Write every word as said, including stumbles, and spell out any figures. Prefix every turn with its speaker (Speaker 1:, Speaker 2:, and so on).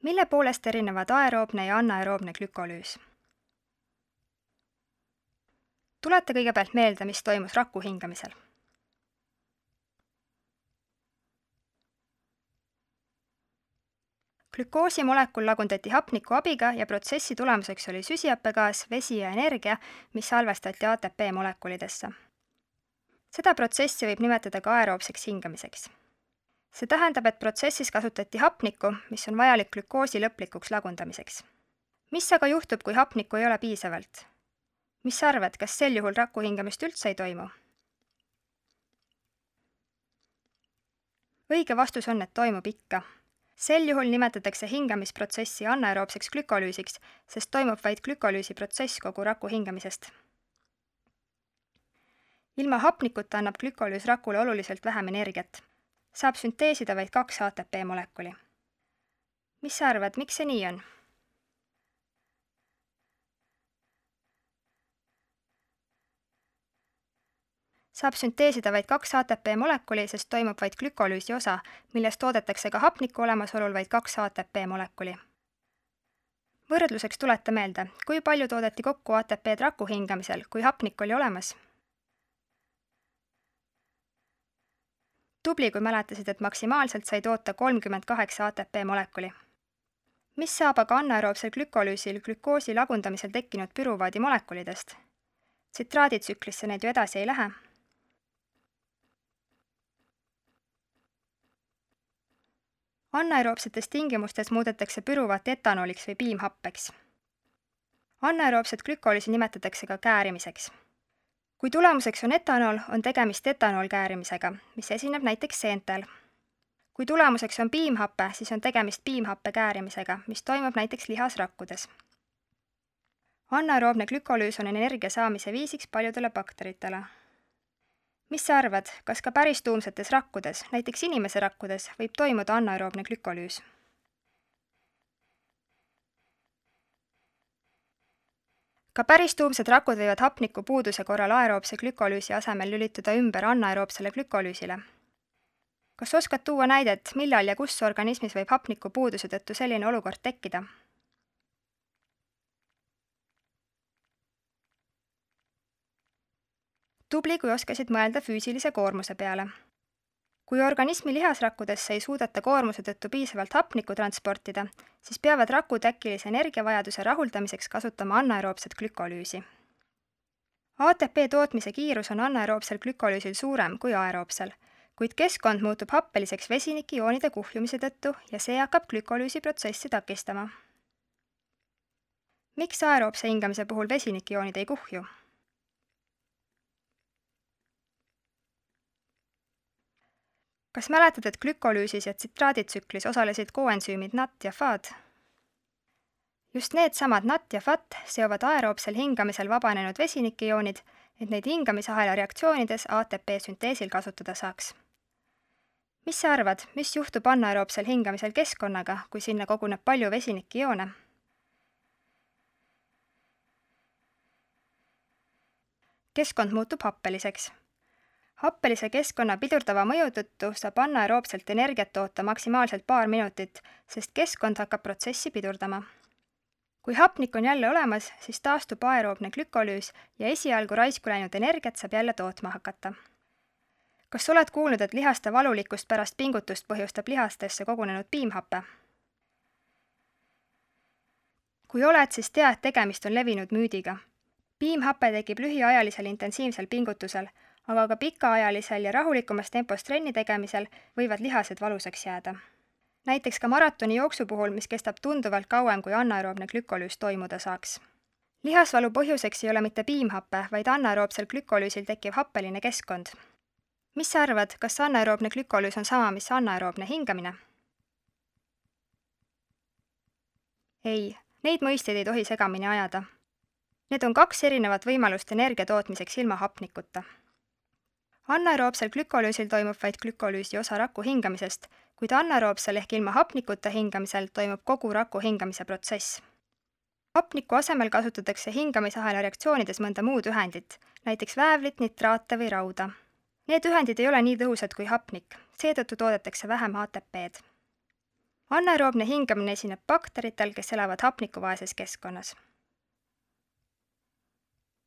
Speaker 1: Mille poolest erinevad aeroobne ja anaeroobne glükolüüs? Tuleta kõigepealt meelde, mis toimus raku hingamisel. Glükoosi molekul lagundati hapniku abiga ja protsessi tulemuseks oli süsihappegaas, vesi ja energia, mis salvestati A T P molekulidesse. Seda protsessi võib nimetada ka aeroobseks hingamiseks. See tähendab, et protsessis kasutati hapnikku, mis on vajalik glükoosi lõplikuks lagundamiseks. Mis aga juhtub, kui hapnikku ei ole piisavalt? Mis sa arvad, kas sel juhul raku hingamist üldse ei toimu? Õige vastus on, et toimub ikka. Sel juhul nimetatakse hingamisprotsessi anaeroobseks glükolüüsiks, sest toimub vaid glükolüüsi protsess kogu raku hingamisest. Ilma hapnikuta annab glükolüüs rakule oluliselt vähem energiat. Saab sünteesida vaid kaks A T P molekuli. Mis sa arvad, miks see nii on? Saab sünteesida vaid kaks A T P molekuli, sest toimub vaid glükolüüsi osa, millest toodetakse ka hapniku olemasolul vaid kaks A T P molekuli. Võrdluseks tuleta meelde, kui palju toodeti kokku A T P-d raku hingamisel, kui hapnik oli olemas. Tubli, kui mäletasid, et maksimaalselt sai toota kolmkümmend kaheksa A T P molekuli. Mis saab aga anaeroobsel glükolüüsil glükoosi lagundamisel tekkinud püruvaadi molekulidest? Tsitraaditsüklisse need ju edasi ei lähe. Anaeroobsetes tingimustes muudetakse püruvaat etanooliks või piimhappeks. Anaeroobset glükolüüsi nimetatakse ka käärimiseks. Kui tulemuseks on etanool, on tegemist etanoolkäärimisega, mis esineb näiteks seentel. Kui tulemuseks on piimhappe, siis on tegemist piimhappe käärimisega, mis toimub näiteks lihasrakkudes. Anaeroobne glükolüüs on energia saamise viisiks paljudele bakteritele. Mis sa arvad, kas ka päris tuumsetes rakkudes, näiteks inimese rakkudes, võib toimuda anaeroobne glükolüüs? Ka päris tuumsed rakud võivad hapniku puuduse korral aeroobse glükolüüsi asemel lülituda ümber anaeroobsele glükolüüsile. Kas oskad tuua näidet, millal ja kus organismis võib hapniku puuduse tõttu selline olukord tekkida? Tubli, kui oskasid mõelda füüsilise koormuse peale. Kui organismi lihasrakkudesse ei suudeta koormuse tõttu piisavalt hapnikku transportida, siis peavad rakud äkilise energiavajaduse rahuldamiseks kasutama anaeroobset glükolüüsi. A T P tootmise kiirus on anaeroobsel glükolüüsil suurem kui aeroobsel, kuid keskkond muutub happeliseks vesinikioonide kuhjumise tõttu ja see hakkab glükolüüsi protsessi takistama. Miks aeroobse hingamise puhul vesinikioonid ei kuhju? Kas mäletad, et glükolüüsis ja tsitraaditsüklis osalesid koensüümid N A T ja F A D? Just need samad N A T ja F A T seovad aeroobsel hingamisel vabanenud vesinikioonid, et neid hingamisahela reaktsioonides A T P sünteesil kasutada saaks. Mis sa arvad, mis juhtub anaeroobsel hingamisel keskkonnaga, kui sinna koguneb palju vesinikioone? Keskkond muutub happeliseks. Happelise keskkonna pidurdava mõju tõttu saab anaeroobselt energiat toota maksimaalselt paar minutit, sest keskkond hakkab protsessi pidurdama. Kui hapnik on jälle olemas, siis taastub aeroobne glükolüüs ja esialgu raisku läinud energiat saab jälle tootma hakata. Kas oled kuulnud, et lihaste valulikkust pärast pingutust põhjustab lihastesse kogunenud piimhappe? Kui oled, siis tea, et tegemist on levinud müüdiga. Piimhappe tekib lühiajalisel intensiivsel pingutusel, aga ka pikaajalisel ja rahulikumas tempos trenni tegemisel võivad lihased valusaks jääda. Näiteks ka maratoni jooksu puhul, mis kestab tunduvalt kauem, kui anaeroobne glükolüüs toimuda saaks. Lihasvalu põhjuseks ei ole mitte piimhappe, vaid anaeroobsel glükolüüsil tekkiv happeline keskkond. Mis sa arvad, kas anaeroobne glükolüüs on sama, mis anaeroobne hingamine? Ei, neid mõisteid ei tohi segamini ajada. Need on kaks erinevat võimalust energia tootmiseks ilma hapnikuta. Anaeroobsel glükolüüsil toimub vaid glükolüüsi osa raku hingamisest, kuid anaeroobsel ehk ilma hapnikuta hingamisel toimub kogu raku hingamise protsess. Hapniku asemel kasutatakse hingamisahela reaktsioonides mõnda muud ühendit, näiteks väävlit, nitraate või rauda. Need ühendid ei ole nii tõhusad kui hapnik, seetõttu toodetakse vähem A T P-d. Anaeroobne hingamine esineb bakteritel, kes elavad hapnikuvaeses keskkonnas.